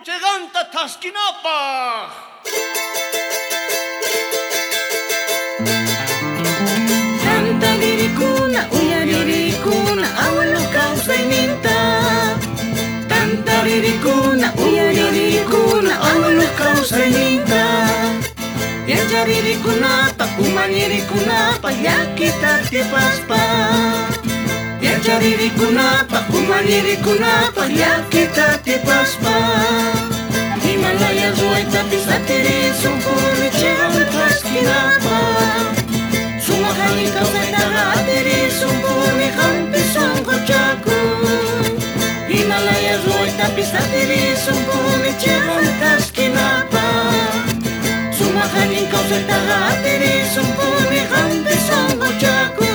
Cheqanta thaskinapaj. Tantaririkuna, uyaririkuna, abuelo kawsayninta. Tantaririkuna, uyaririkuna, abuelo kawsayninta. Yacharirikunapa, umallirikunapa, llakita atipaspa. Yacharirikunapa, umallirikunapa, llakita atipaspa. Himalaya ruwaytapis atirisunpuni chiqan thaskinapaq. Sumaq allin kawsaytaqa atirisunpuni qampi sunquchakun. Himalaya ruwaytapis atirisunpuni chiqan thaskinapaq. Sumaq allin kawsaytaqa atirisunpuni qampi sunquchakun.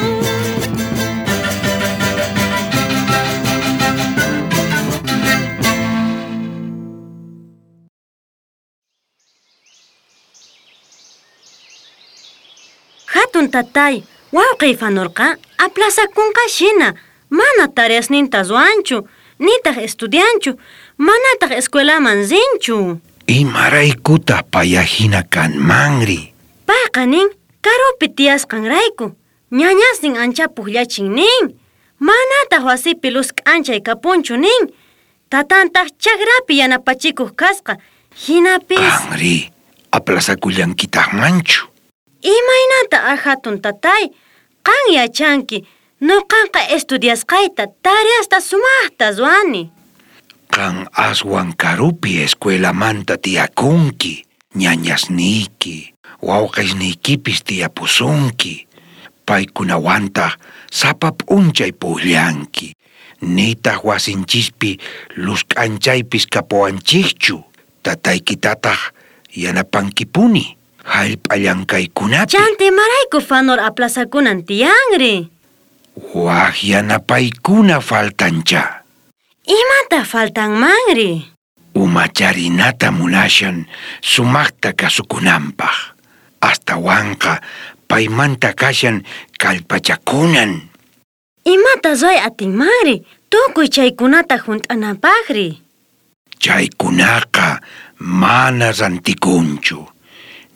Hatun tatay, wawqiy Fanorqa aplazakunqa shina, mana tareasninta ruwanchu, nitaq estudianchu, manataq escuelaman rinchu. Imaraykutaq payahina kanmanri? Payqa nin karupi tiyasqanrayku, ñañasnin ancha pukllachin nin, manataq wasipi luz k'anchay kapunchu nin, tatantaq chakrapi yanapachikuq kasqa, hinapis... Qanri, aplazakullankitaqmanchu? Imaynata hatun tatay, qan yachanki, nuqanqa estudiasqayta tareasta sumaqta ruwani. Qan aswan karupi escuelamanta tiyakunki, ñañasniyki, wawqisniykipis tiyapusunki, paykunawantaq sapa p'unchay puqllanki, nitaq wasinchispi luz k'anchaypis kapuwanchikchu, tataykitataq yanapankipuni hallp'a llankaykunapi. Chanta imarayku Fanor aplazakunan tiyanri? Wak yanapaykuna faltancha. Imata faltanmanri? Umacharinata munashan sumaqta kasukunanpaq. Astawanqa paymanta kashan kallpachakunan. Imata ruway atinmanri tukuy chaykunata hunt'ananpaqri? Chaykunaqa mana rantikunchu,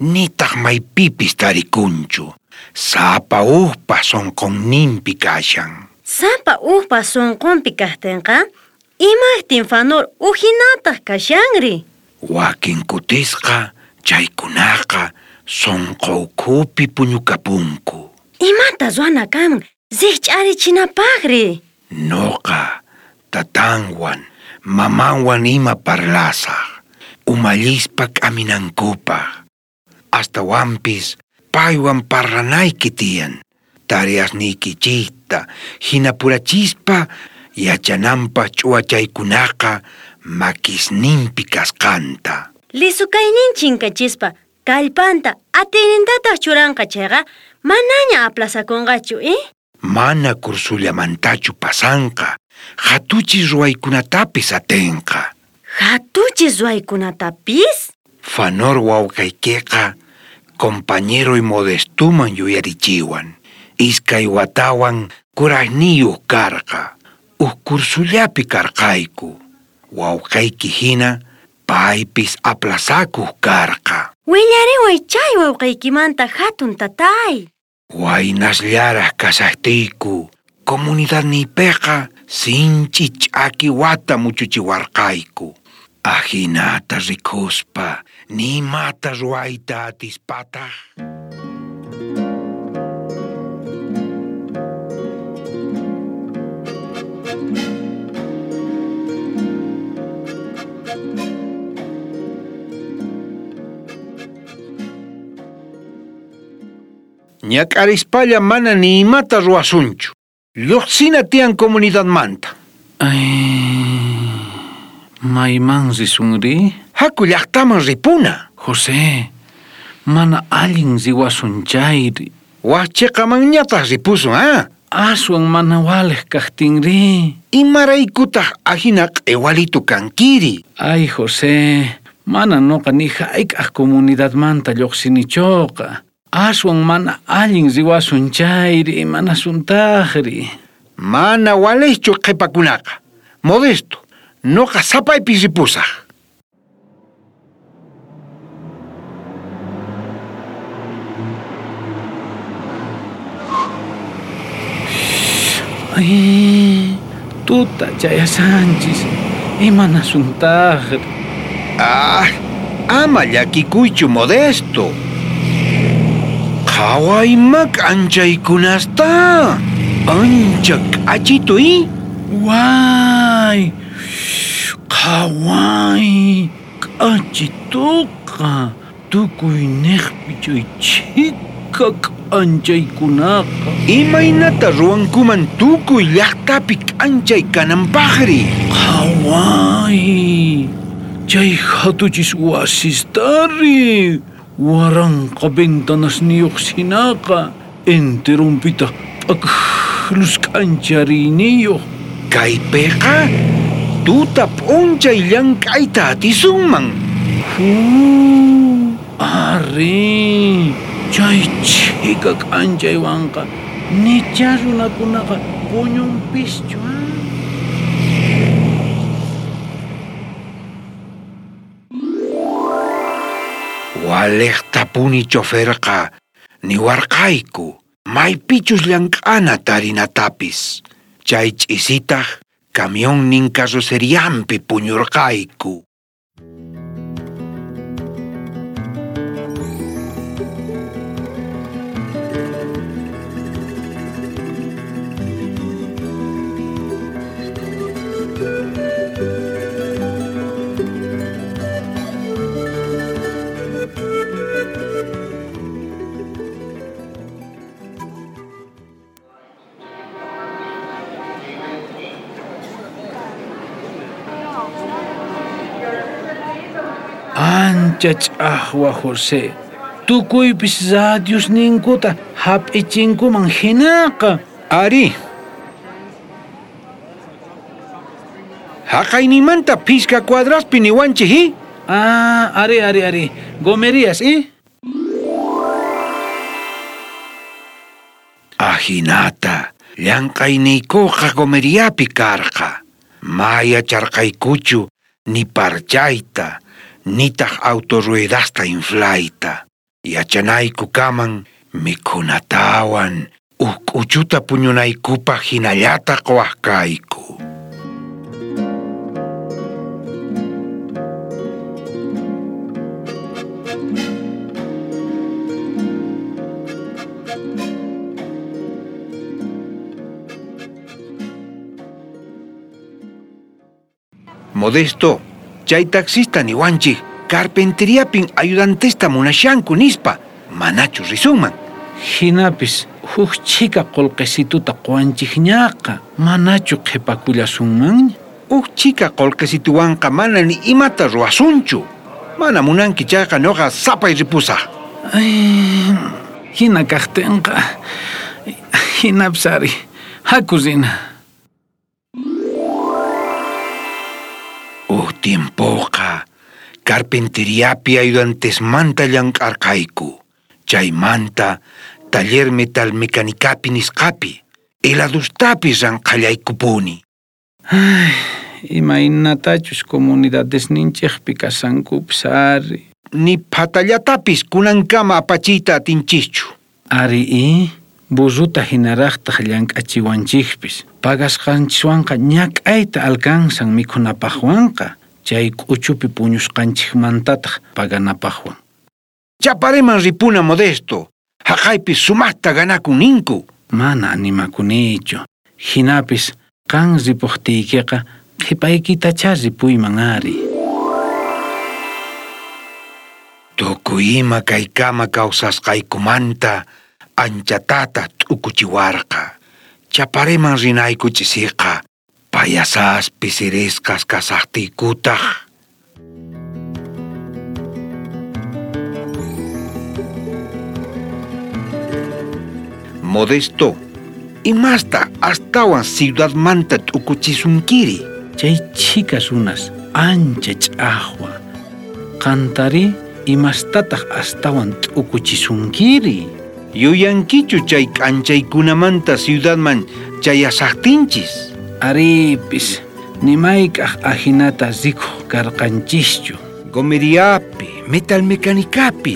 nitaq maypipis tarikunchu. Sapa ujpa sunqunninpi kashan. Sapa ujpa sunqunpi kaqtinqa, imaqtin Fanor ujinataq kashanri? Wakin kutisqa chaykunaqa sunqu ukhupi puñukapunku. Imata ruwana kanman rikch'arichinapaqri? Noqa tatanwan, mamanwan ima parlasaq, umallispa k'aminankupaq. Astawanpis paywan parlanayki tiyan, tareasniykichikta hinapurachispa yachananpaq ch'uwachaykunaqa makisninpi kasqanta. Lisukaynin chinkachispa kallpanta atiynintataq churanqa chayqa manaña aplazakunqachu, Mana cursullamantachu pasanqa, hatuchis ruwaykunatapis atinqa. Hatuchis ruwaykunatapis? Fanor wawqaykiqa compañeroy Modestuman yuyarichiwan. Iskay watawan kuraqniyuq karqa. Uj cursullapi karqayku. Wawqayki hina paypis aplazakuq karqa. Willariway chay wawqaykimanta hatun tatay. Waynasllaraq kashaqtiyku, comunidadniypiqa sinchi ch'aki wata muchuchiwarqayku. Ajinata rikuspa, nimata ruwayta atispataq. Ñak'arispalla mana ni imata ruwasunchu. Lluqsina tiyan comunidadmanta. Ay, mayman risunri? Haku llaqtaman ripuna. José, mana allin riwasun chayri. Wak chiqamanñataq ripusun, ah? Aswan mana waliq kaqtinri. Imaraykutaq ahina q'iwalitu kankiri? Ay, José, mana nuqa ni hayk'aq comunidadmanta lluqsinichuqa. Aswan mana allin riwasun chayri, mana suntaqri. Mana waliqchu qhipakunaqa. Modesto, nuqa sapaypi ripusaq. Ay, tuta chayasanchis. Imanasuntaqri. Ah, ama llakikuychu Modesto. Qhaway ima k'anchaykunasta. Ancha k'achitu i. Way, qhaway, k'achituqa. Tukuy niqpi chay chhika k'anchaykunaqa. Imaynata ruwankuman tukuy llaqtapi k'anchay kananpaqri. Qhaway, chay hatuchis wasistari. Waranqa ventanasniyuq sinaqa enteronpitaq p'aklus k'anchariyniyuq. Kaypiqa tuta p'unchay llank'ayta atisunman. Ari, chay chhika k'anchaywanqa nicha runakunaqa puñunpischu. Waliqtapuni choferqa niwarqayku maypichus llank'ana tarinatapis. Chay ch'isitaq camionnin carrocerianpi puñurqayku. Ancha ch'aqwa José, tukuypis radiosninkuta hap'ichinkuman hinaqa. Ari. Haqaynimanta phisqa cuadraspi niwanchik i? Ah, ari, ari, ari. Gomerías, i? Ajinata, llank'ayniykuqa gomeriapi karqa. Ma yacharqaykuchu ni parchayta, nitaq autorruedasta inflayta. Yachanayku kaman mikhunatawan, uj k'uchuta puñunaykupaq hinallata quwaq kayku. Modesto, chay taxista niwanchik carpenteriapin ayudantesta munashanku nispa, manachu risunman. Hinapis huk chhika qullqisituta quwanchikñaqa, manachu qhipakullasunmanña. Huk chhika qullqisituwanqa mana ni imata ruwasunchu. Mana munanki chayqa nuqa sapay ripusaq. Ay, hina kaqtinqa, hinapis ari, haku rina. Uj tiempoqa carpenteriapi ayudantesmanta llank'arqayku. Chaymanta taller metalmecanicapi nisqapi, heladustapis ranqhallaykupuni. Ay, imaynatachus comunidadesninchikpi kashankupis ari. Ni phatallatapis kunankama apachiyta atinchischu. Ari i, burruta hinaraqtaq llank'achiwanchikpis. Pagasqanchiswanqa ñak'ayta alcanzan mikhunapaqwanqa, chay k'uchupi puñusqanchikmantataq paganapaqwan. Chapareman ripuna Modesto, haqaypi sumaqta ganakun ninku. Mana animakunichu. Hinapis qan ripuqtiykiqa qhipaykitachá ripuyman ari. Tukuy ima kaykama kawsasqaykumanta anchatata t'ukuchiwarqa. Chapareman rinayku ch'isiqa, payasaspi sirisqas kasaqtiykutaq. Modesto, imasta astawan ciudadmanta t'ukuchisunkiri. Chay chhika runas ancha ch'aqwa. Qantari imastataq astawan t'ukuchisunkiri. Yuyankichu chay k'anchaykunamanta ciudadman chayasaqtinchis. Aripis, nimayk'aq ajinata rikuq karqanchischu. Gomeriapi, metalmecanicapi,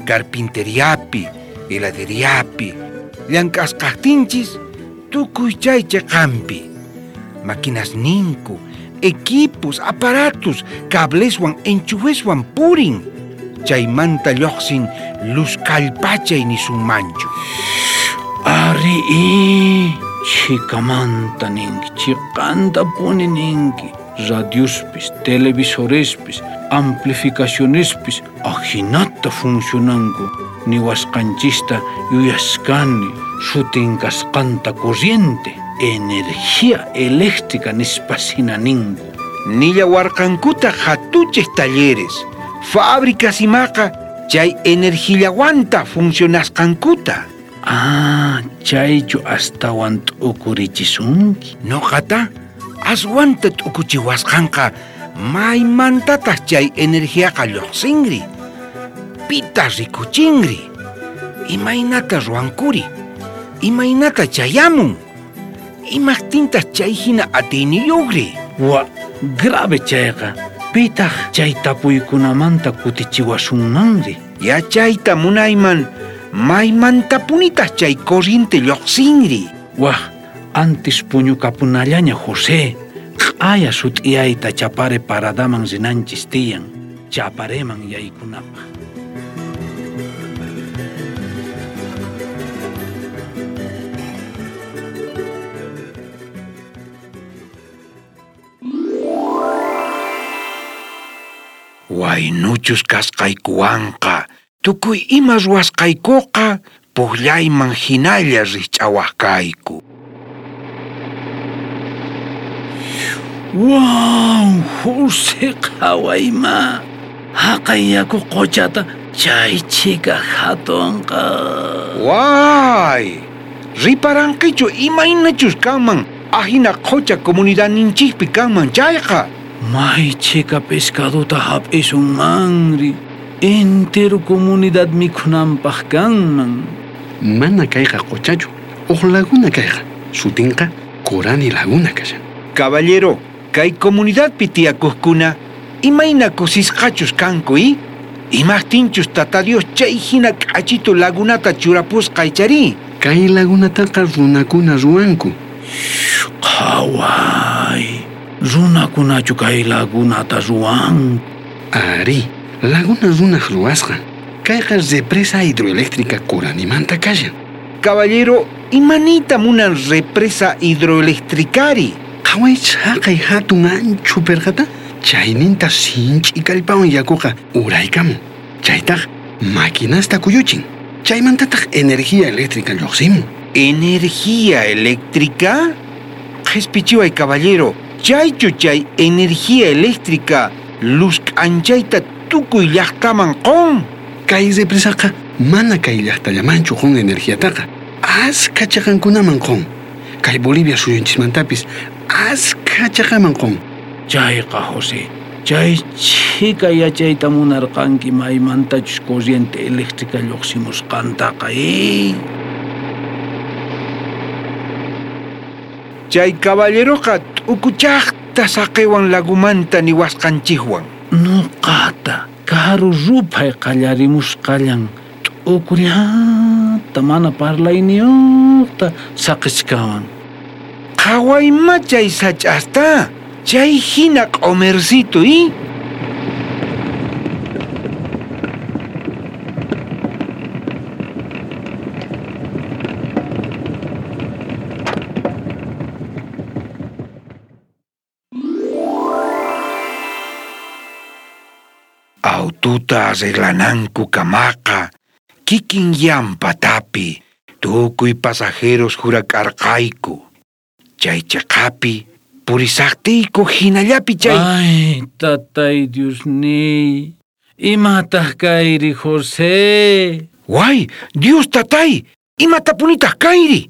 carpinteriapi, heladeriapi, llank'asqaqtinchis, Tukuy chay chiqanpi. Maquinasninku, equipos, aparatos, cableswan, enchufeswan purin. Chaymanta lluqsin luz kallpachay nisunmanchu. Ari i, chikamanta ninki, chiqantapuni ninki. Radiospis, televisorespis, amplificacionespis ajinata funcionanku. Niwasqanchista yuyaskani, sutin kasqanta corriente, energía eléctrica nispasina ninku. Nillawarqankuta hatuchej talleres, fábricas imaqa chay energillawanta funcionasqankuta. Ah, chaychu astawan t'ukurichisunki. Noqata aswanta t'ukuchiwasqanqa maymantataq chay energiaqa lluqsinri. Pita rikuchinri. Imaynata ruwankuri. Imaynata chayamun. Imaqtintaq chay hina atiyniyuqri. Wa, grave chayqa. Pitaq chay tapuykunamanta kutichiwasunmanri. Yachayta munayman maymantapunitaq chay corriente lluqsinri. Waj, antes puñukapunallaña José. Q'aya sut'iyayta Chapare paradaman rinanchis tiyan, Chapareman yaykunapaq. Waynuchus kasqaykuwanqa, tukuy ima ruwasqaykuqa puqllayman hinalla rikch'awaq kayku. Wow, José qhawayma. Haqay yaku quchata chay chhika hatunqa. Way, riparankichu imaynachus kanman ahina qucha comunidadninchikpi kanman chayqa. May chhika pescadota hap'isunmanri. Entero comunidad mikhunanpaq kanman. Mana kayqa quchachu, uq laguna kayqa. Sutinqa Corani Laguna kashan. Caballero, kay comunidadpi tiyakuqkuna imayna kusisqachus kanku i? Imaqtinchus Tata Dios chay hina k'achitu lagunata churapusqa ichari. Kay lagunataqa runakuna ruwanku. Qhaway, runakunachu kay lagunata ruwanku. Ari, laguna runaq ruwasqan. Kayqa represa hidroeléctrica Coranimanta kashan. Caballero, imanita munan represa hidroeléctricari? Qhaway chhaqay hatun anchu perqata, chayninta sinch'i kallpawan yakuqa uraykamun. Chaytaq maquinasta kuyuchin. Chaymantataq energía eléctrica lluqsimun. ¿Energía eléctrica? Qhispichiway caballero, chaychu chay energía eléctrica luz k'anchayta tukuy llaqtaman qun. Kay represaqa mana kay llaqtallamanchu qun energiataqa. Askha chaqankunaman qun. Kay Bolivia suyunchismantapis askha chaqaman qun. Chayqa José, chay chhika yachayta munarqanki maymantachus corriente eléctrica lluqsimusqantaqa. Chay caballeroqa t'ukuchaqta saqiwan lagumanta niwasqanchikwan. Nuqata karu ruphay qallarimusqallan t'ukullata mana parlayniyuqta saqichkawan. Qhawayma chay sach'asta, chay hina q'umircito i. Aututa arreglananku kamaqa, kikin llampatapi, tukuy pasajeros jurak'arqayku. Chay chiqapi, purisaqtiyku hinallapi chay. Ay, tatay Diosniy, imataq kayri José? Way, Dios tatay, imatapunitaq kayri?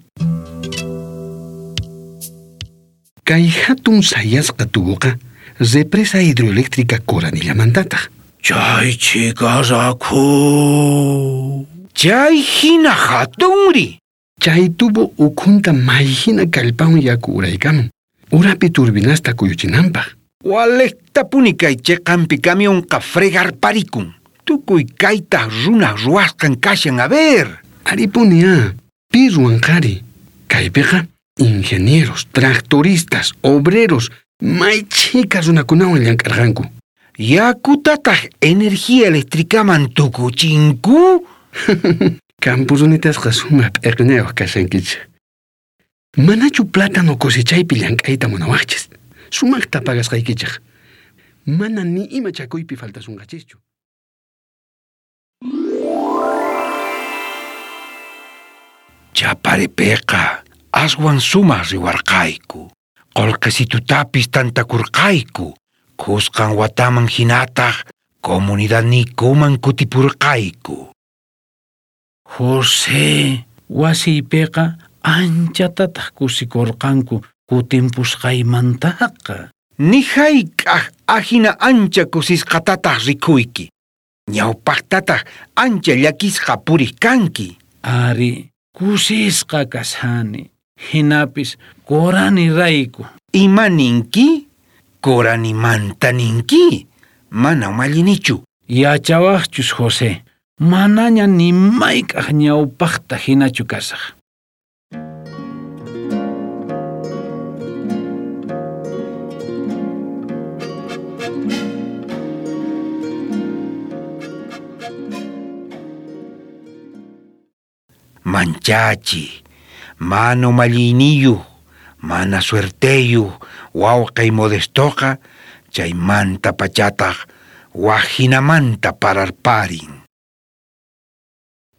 Kay hatun sayasqa tubuqa represa hidroeléctrica Coranillamantataq. Chay chhika rakhu. Chay hina hatunri. Chay tubo ukhunta may hina kallpawan yaku uraykamun. Urapi turbinasta kuyuchinanpaq. Waliqtapuni kay chiqanpi camionqa fregarparikun. Tukuy kaytaq runaq ruwasqan kashan, a ver. Aripuni a, pi ruwanqari. Kaypiqa Ingenieros, tractoristas, obreros, may chhika runakunawan llank'arqanku. Yakutataj energía eléctricaman tukuchinku? Campo runitasqa sumaq p'eqnayuq kashankichik. Manachu plátano cosechaypi llank'ayta munawaqchis? Sumaqta pagasqaykichik. Mana ni ima chakuypi faltasunqachischu. Chaparepiqa aswan sumaq riwarqayku. Qullqisitutapis tantakurqayku. Kusqan wataman hinataq comunidadniykuman kutipurqayku. José, wasiypiqa anchatataq kusikurqanku kutimpusqaymantaqa. Ni hayk'aq ahina ancha kusisqatataq rikuyki. Ñawpaqtataq ancha llakisqa puriq kanki. Ari, kusisqa kashani. Hinapis Corani rayku. Ima ninki? Coranimanta ninki? Mana umallinichu. Yachawaqchus José, manaña ni mayk'aq ñawpaqta hinachu kasaq. Manchachi, mana umalliyniyuq, mana suerteyuq, wawqiy Modestoqa chaymanta pachataq waj hinamanta pararparin.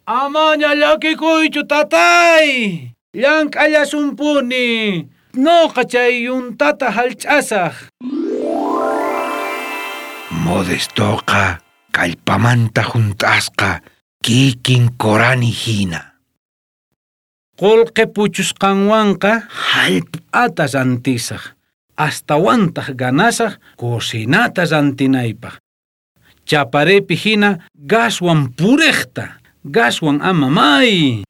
Amaña llakikuychu tatay, llank'allasunpuni, noqa chay yuntata hallch'asaq. Modestoqa kallpamanta hunt'asqa kikin Corani hina. Qullqi puchusqanwanqa hallp'ata rantisaq, astawantaq ganasaq cocinata rantinaypaq. Chaparepi hina gaswan puriqta, gaswan ama may.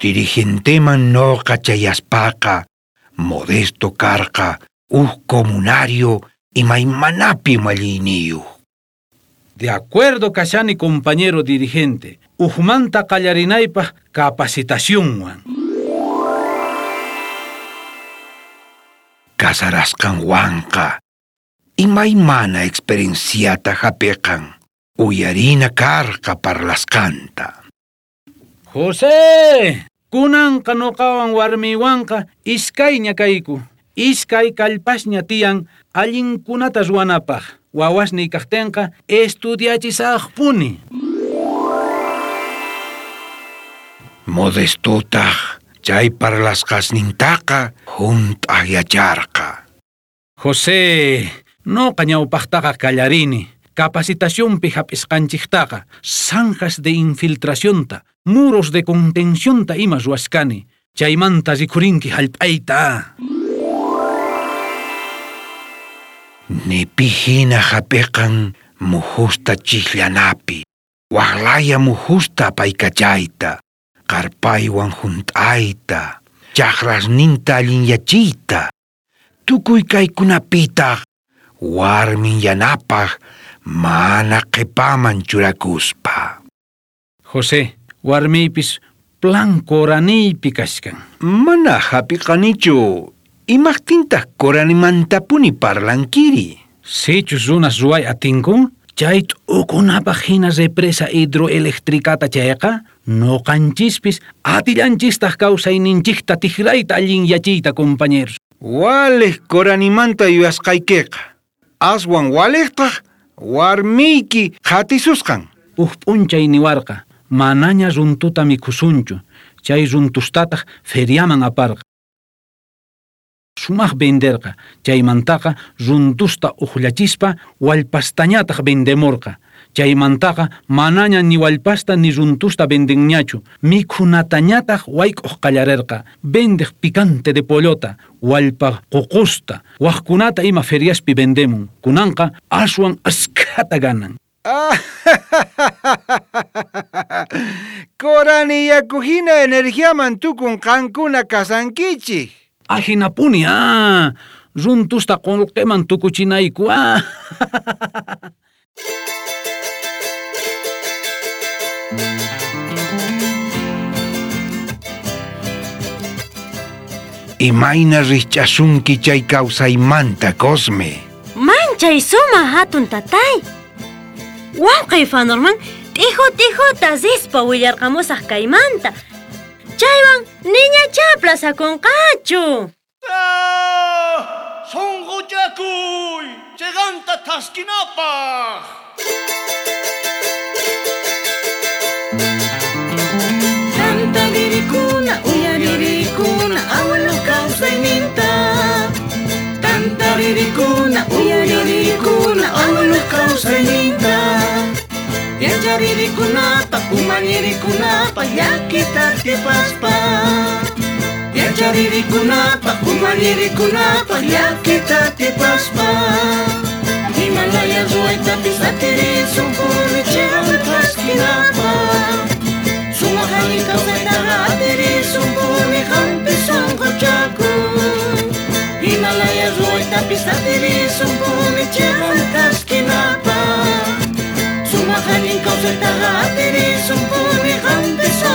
Dirigenteman noqa chayaspaqa, Modesto karqa uj comunario imaymanapi umalliyniyuq. De acuerdo kashani compañero dirigente, ujmanta qallarinaypaq capacitacionwan. Casarasqanwanqa imaymana experienciata hapiqan, uyarina karqa parlasqanta. José, kunanqa noqawan warmiywanqa iskayña kayku, iskay kallpasña tiyan allinkunata ruwanapaq. Wawasniy kaqtinqa estudiachisaqpuni. Modestotaq chay parlasqasnintaqa hunt'aq yacharqa. José, noqa ñawpaqtaqa kallarini. Capacitacionpi hap'isqanchiktaqa zanjas de infiltracionta, muros de contencionta ima ruwashkani. Chaymanta rikhurinki hallp'ayta. Nipi hina hapiqan mujusta chikllanapi, waqlaya mujusta apaykachayta, qarpaywan hunt'ayta, chaqrasninta allinyachiyta. Tukuy kaykunapitaq warmin yanapaq mana qhipaman churakuspa. José, warmiypis plan Coraniypi kashkan. Mana hapiqanichu. Imaqtintaq Coranimantapuni parlankiri? Sichus runas ruway atinku, chay t'ukunapaq hina represa hidroeléctricata chayqa, noqanchispis atillanchistaq kawsayninchikta tikrayta allinyachiyta, compañeros. Waliq Coranimanta yuyasqaykiqa, aswan waliqtaq warmiyki qhatisusqan. Uj p'unchay niwarqa, manaña runtuta mikhusunchu, chay runtustataq feriaman aparqa. Sumaq venderqa, chaymantaqa runtusta uqllachispa wallpastañataq vendemurqa. Chaymantaqa manaña ni wallpasta ni runtusta vendenñachu, mikhunatañataq wayk'uq qallarerqa, vendeq picante de pollota, wallpa ququsta, waqkunata ima feriaspi vendemun. Kunanqa aswan askhata ganan. Corani yaku hina energiaman tukun qankuna kasankichik. Ahinapuni, runtusta qullqiman tukuchinayku, Imayna rijch'asunki chay kawsaymanta, Cosme? Manchay suma hatun tatay. Wawqiy Fanorman t'ijo t'ijuta rispa willarqamusaq kaymanta. Chaywan niñachá plazakunqachu. Sonqochakuy, chiqanta thaskinapaq. Tantaririkuna, uyaririkuna, abuelo kawsayninta. Tantaririkuna, uyaririkuna, abuelo kawsayninta. Yacharirikunapaq, umallirikunapaq, llakita atipaspa. Yacharirikunapaq, umallirikunapaq, llakita atipaspa. Himalaya ruwaytapis atirisunpuni chiqan thaskinapaq. Sumaq allin kawsaytaqa atirisunpuni qampi sunquchakuy. Himalaya ruwaytapis atirisunpuni chiqan thaskinapaq. Sumaq allin kawsaytaqa atirisunpuni qampi sunquchakuy.